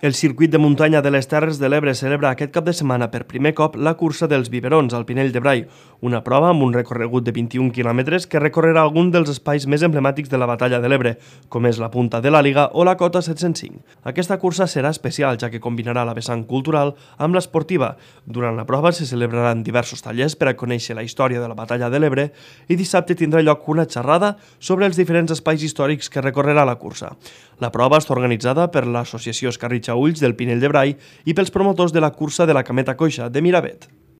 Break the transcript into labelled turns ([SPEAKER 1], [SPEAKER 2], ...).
[SPEAKER 1] El circuit de muntanya de les Terres de l'Ebre celebra aquest cap de setmana per primer cop la cursa dels biberons al Pinell de Brai, una prova amb un recorregut de 21 quilòmetres que recorrerà algun dels espais més emblemàtics de la Batalla de l'Ebre, com és la Punta de la Liga o la Cota 705. Aquesta cursa serà especial, ja que combinarà la vessant cultural amb l'esportiva. Durant la prova se celebraran diversos tallers per a conèixer la història de la Batalla de l'Ebre i dissabte tindrà lloc una xerrada sobre els diferents espais històrics que recorrerà la cursa. La prova està organitzada per l'Associació Escarritxa Ulls del Pinell de Brai i pels promotors de la cursa de la Cameta Coixa de Miravet.